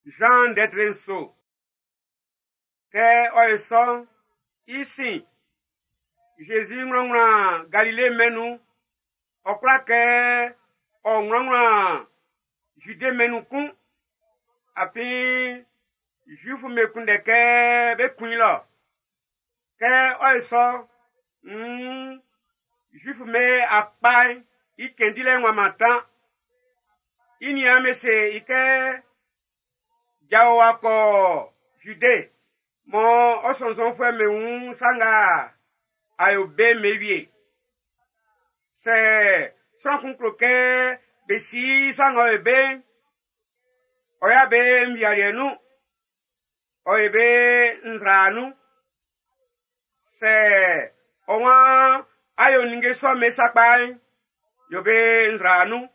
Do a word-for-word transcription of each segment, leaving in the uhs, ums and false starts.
Jean ndɛtre nso. Kɛ ɔ ye sɔ'n, i sin, Zezi ŋlɔŋlɔ Galile mɛn'n nun. Ɔ kwla kɛ ɔ ŋlɔŋlɔ Jude mɛn'n nun kun. Afin Zuifu'm be kunndɛ kɛ be kun i lɔ. Kɛ ɔ ye sɔ'n, nn Zuifu'm be akpa'n i cɛn dilɛ'n w'a mantan. I niaan be se i kɛ jao wa kɔ Jude mɔ ɔ sɔnnzɔnfuɛ'm be wun sa nga a yo be'n be wie. Sɛ sran kun klo kɛ be si sa ng'ɔ yo be'n, ɔ ya be nvialiɛ nun, ɔ ye be nzra nun. Sɛ ɔ waan a yo ninnge sɔ'm be sakpa'n, yo be nzra nun.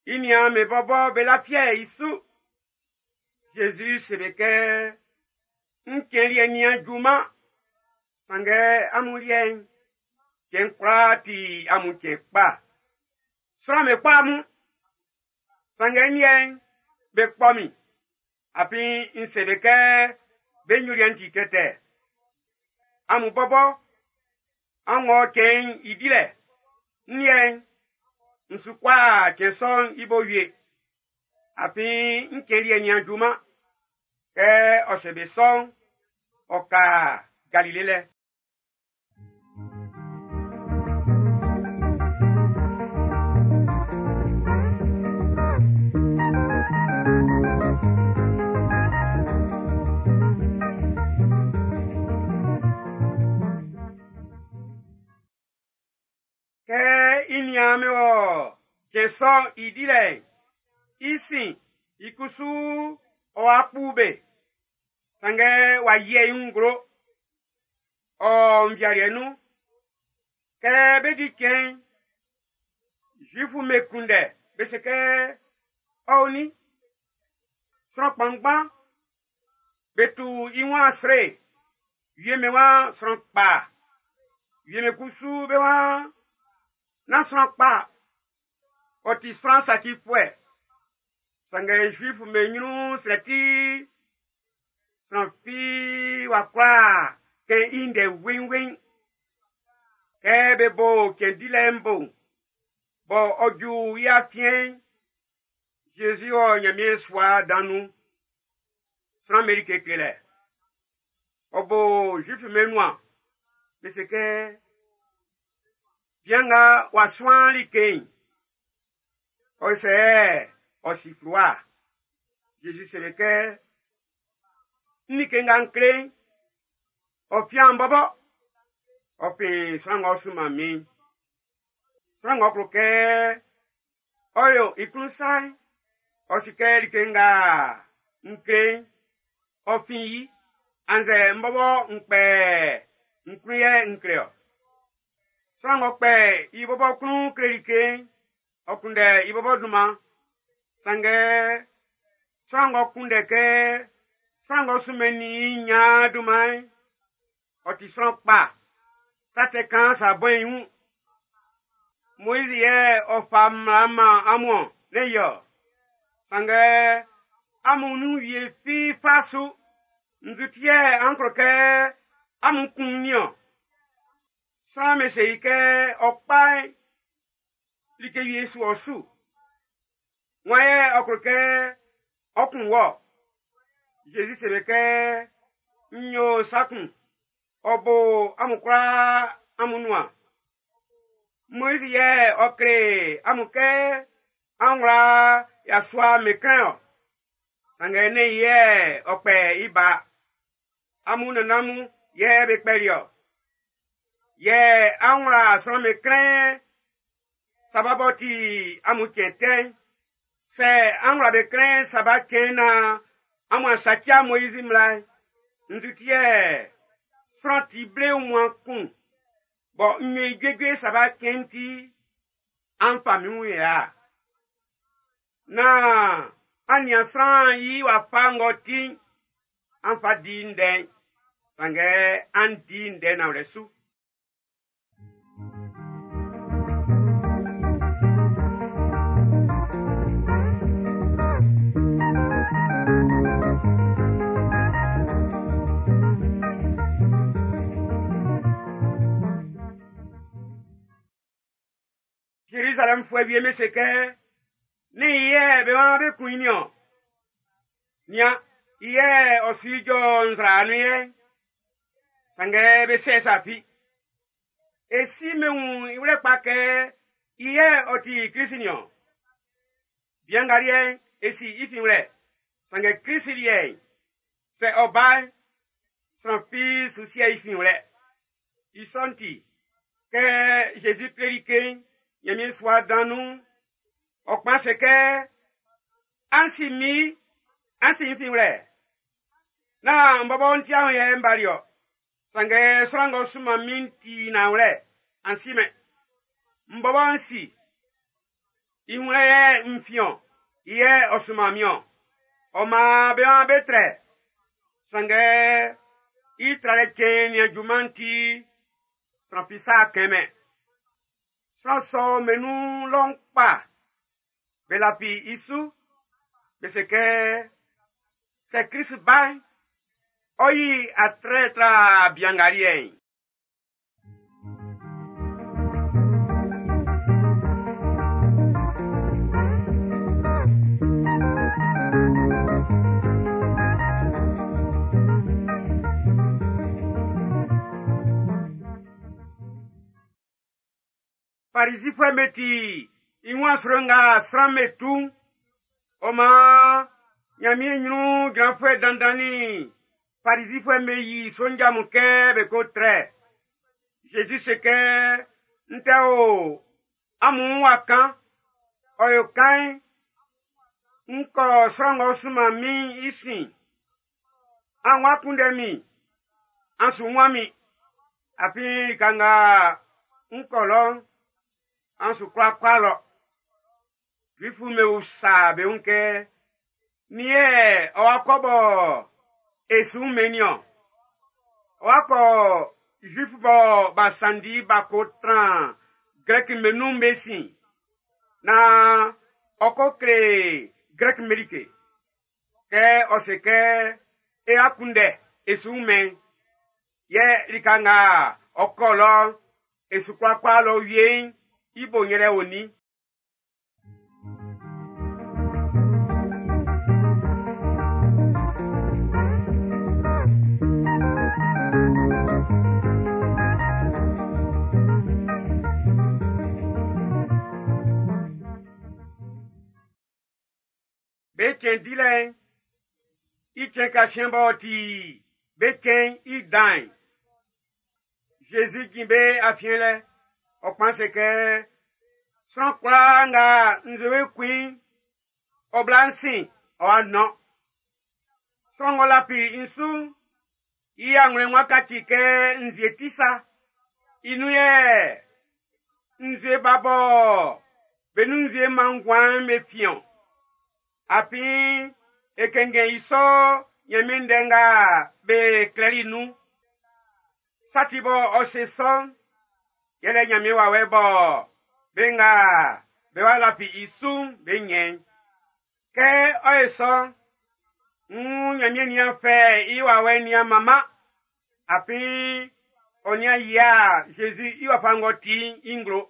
I niaan be bɔbɔ be lafia i su. Zezi se be kɛ, n cɛn liɛ nian junman, sanngɛ amun liɛ'n, cɛn kwlaa ti amun cɛn kpa. Sran be kpɔ amun, sanngɛ n liɛ'n, be kpɔ min. Afin n se be kɛ be nyoliɛ'n ti tɛtɛ. Amun bɔbɔ, an wɔ cɛn'n i dilɛ. N liɛ'n, n su kɔ a cɛn sɔ'n i bo wie. Afin n cɛn liɛ nian junman. Kɛ ɔ se be sɔ'n, ɔ ka Galile lɛ. Kɛ i niaan be wɔ cɛn sɔ'n i dilɛ'n, i sin i kusu ɔ wa kpu be. Sanngɛ w'a yiɛ i wun nglo. Ɔ nvialiɛ nun. Kɛ be di cɛn'n, Zuifu'm be kunndɛ be se kɛ ɔ o nin. Sran kpanngban be tu i wun asre. Wie be waan sran kpa. Wie be kusu be waan nán sran kpa. Ɔ ti sran sacifuɛ. Sanngɛ Zuifu'm be ɲrun srɛ ti sran fi w'a kwla kɛn i ndɛ weinwein. Kɛ be bo cɛn dilɛ'n bo'n, bɔ ɔ ju i afiɛn'n, Zezi wɔ Ɲanmiɛn sua dan nun. Sran be like klelɛ. Ɔ bo Zuifu'm be nuan. Be se kɛ, bian nga w'a suan like'n, ɔ sɛ ɔ si fluwa. Zezi se be kɛ, n like nga n kle'n, ɔ fian bɔbɔ, ɔ fin sran ng'ɔ sunman min. Sran ng'ɔ klo kɛ ɔ yo i klun sa'n, ɔ si kɛ like nga n kle'n, ɔ fin i, annzɛ n bɔbɔ n kpɛ n klun yɛ n kle ɔ. Sran ng'ɔ kpɛ i bɔbɔ klun kle like'n, ɔ kunndɛ i bɔbɔ dunman. Sanngɛ sran ng'ɔ kunndɛ kɛ sran ng'ɔ sunmɛnnin i ɲan dunman'n, ɔ ti sran kpa. Sa tɛ kan sa bɔ i wun. Moizi yɛ ɔ fa mmla man amun ne yɔ. Sanngɛ amun nun wie fi fa su. Nzu ti yɛ an klo kɛ amun kun niɔn. Sran be se i kɛ ɔ kpa'n, like wie su ɔ su. Wan yɛ ɔ klo kɛ ɔ kun wɔ. Zezi se be kɛ, n yo sa kun, ɔ bo amun kwlaa amun nuan. Moizi yɛ ɔ kle amun kɛ an wla yasua meklɛn ɔ. Sanngɛ ne yɛ ɔ kpɛ i ba. Amun nannan mun yɛ be kpɛli ɔ. Yɛ an wla sran meklɛn saba bɔ ti amun cɛn tɛ'n. Sɛ an wla be klɛn saba cɛn na amun asatia Moizi mmla'n, nzu ti yɛ sran ti ble wunmuan kun bɔ n yo i juejue saba cɛn'n ti an fa min wun ya. Na an nian sran i wafa ng'ɔ ti'n, an fa di ndɛ'n, sanngɛ an di ndɛ nanwlɛ su. Farizifuɛ wie'm be se kɛ, “Nɛ́n i yɛ be waan bé kún i niɔn? Nian, i yɛ ɔ su ijɔ nzra nun yɛ.” Sanngɛ be sɛ sa fi. E si min wun i wlɛ kpa kɛ i yɛ ɔ ti Klisi niɔn. Bian nga liɛ'n, e si i finwlɛ. Sanngɛ Klisi liɛ'n, sɛ ɔ ba'n, sran fi su sie i finwlɛ. I sɔ'n ti, kɛ Zezi kleli like'n Ɲanmiɛn sua dan nun'n, ɔ kpan se kɛ, “An si min, an si n finwlɛ. Nán n bɔbɔ n tiaun yɛ n bali ɔ. Sanngɛ sran ng'ɔ sunman min'n ti nanwlɛ, an si mɛn. N bɔbɔ n si. I wun yɛ n fin-ɔn, i yɛ ɔ sunman min-ɔn. Ɔ maan be waan be trɛ. Sanngɛ i tralɛ cɛn'n nin-a juman ti, sran fi sa kɛnmɛn. Sran sɔ be nun lɔ'n kpa, be lafi i su. Be se kɛ, sɛ Klist ba'n, ɔ yi atrɛ tra bian nga liɛ'n. Farizifuɛ'm be ti i wun asro nga sran'm be tu'n, ɔ maan Ɲanmiɛn ɲrun jranfuɛ dandan nin Farizifuɛ'm be yi sonja mun kɛ be ko trɛ. Zezi se kɛ, “N tɛ o amun wa kan, ɔ yo kan'n, n kɔ sran ng'ɔ sunman min'n i sin. An wá kunndɛ min, an su wun min. Afin lika nga n kɔ lɔ'n, an su kwla kɔ lɔ.” Zuifu'm be usa be wun kɛ, nin yɛ ɔ wa kɔ bɔ e su wun-mɛn niɔn? Ɔ wa kɔ Zuifu bɔ b'a sanndi b'a ko tran Grɛki'm be nun'n be sin, naan ɔ ko kle Grɛki'm be like. Kɛ ɔ se kɛ, “E akunndɛ e su wun-mɛn, yɛ lika nga ɔ kɔ lɔ'n, e su kwla kɔ lɔ wie'n, i bo yɛlɛ onin? Be cɛn dilɛ'n, i cɛn kasiɛn b'ɔ ti be cɛn'n i dan'n, Zezi jin be afiɛn lɛ, ɔ kpan se kɛ, “Sran kwlaa nga nzue kun i'n, ɔ bla n sin, ɔ wa nɔn. Sran ng'ɔ lafi n su'n, i anwlɛn'n wá káci kɛ nzue ti sa. I nun yɛ nzue ba bɔ be nun nzue man nguan'n be fin-ɔn. Afin e kɛnngɛn i sɔ Ɲanmiɛn ndɛ nga be klɛli nun. Sa ti bɔ ɔ se sɔ'n, yɛlɛ Ɲanmiɛn wawɛ bɔ be nga be wa lafi i su'n be ɲɛn. Kɛ ɔ ye sɔ'n, nn Ɲanmiɛn nian fɛ i wawɛ'n nian manman. Afin ɔ nian yia Zezi i wafa ng'ɔ ti'n i nglo.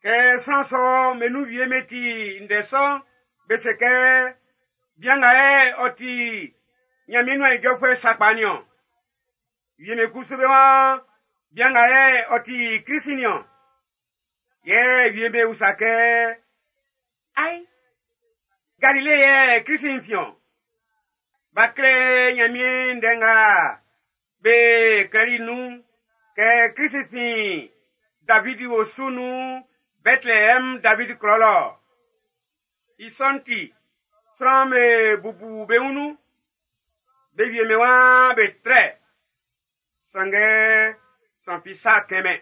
Kɛ sran sɔ be nun wie be ti ndɛ sɔ'n, be se kɛ, “Bian nga yɛ ɔ ti Ɲanmiɛn nuan ijɔfuɛ sakpa niɔn.” Wie'm be kusu be waan, “Bian nga yɛ ɔ ti Klisi niɔn.” Yɛ wie'm be usa kɛ, “Ai, Galile yɛ Klisi'n fin-ɔn?” B'a klɛ Ɲanmiɛn ndɛ nga be klɛli nun kɛ Klisi fin Davidi osu nun Bɛtleɛm Davidi klɔ lɔ. I sɔ'n ti, sran'm be bubu be wun nun. Be wie'm be waan be trɛ. Sanngɛ sran fi sa kɛnmɛn.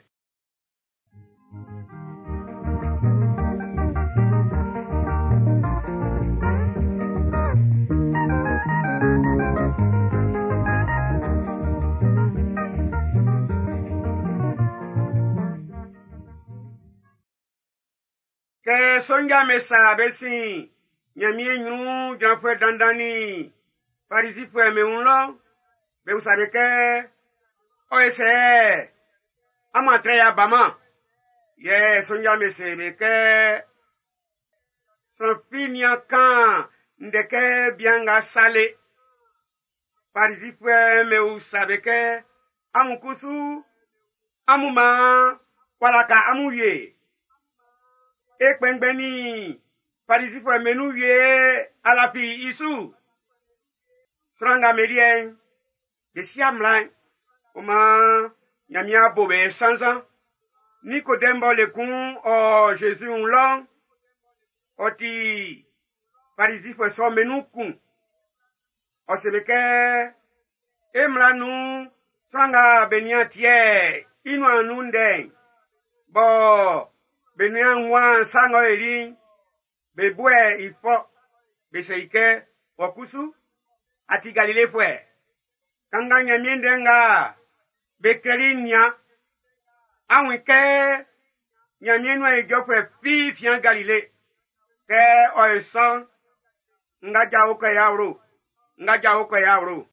Sonja me sa be sin Ɲanmiɛn ɲrun jranfuɛ dandan nin Farizifuɛ be wun lɔ, be usa be kɛ, ɔ ye sɛ amun a trɛ y'a baman? Yɛ sonja be se be kɛ, sran fi nian kan ndɛ kɛ bian nga sa le. Farizifuɛ be usa be kɛ, amun kusu, amun man w'a ka amun wie. E kpɛnngbɛn nin Farizifuɛ be nun wie a lafi i su. Sran nga be liɛ'n, be si mmla'n, ɔ maan Ɲanmiɛn a bo be sannzan. Nikodɛm bɔ le kun ɔ Zezi wun lɔ'n, ɔ ti Farizifuɛ sɔ'm be nun kun. Ɔ se be kɛ, e mmla nun sran nga be nian tiɛ i nuan nun ndɛ'n, bɔ be nian wan sa ng'ɔ yoli'n, be buɛ i fɔ. Be se i kɛ, wɔ kusu, a ti Galilefuɛ. Kanngan Ɲanmiɛn ndɛ nga be klɛli'n nian. A wun kɛ Ɲanmiɛn nuan ijɔfuɛ fi fian Galile. Kɛ ɔ ye sɔ'n, nga jao kɔ i awlo, nga jao kɔ i awlo.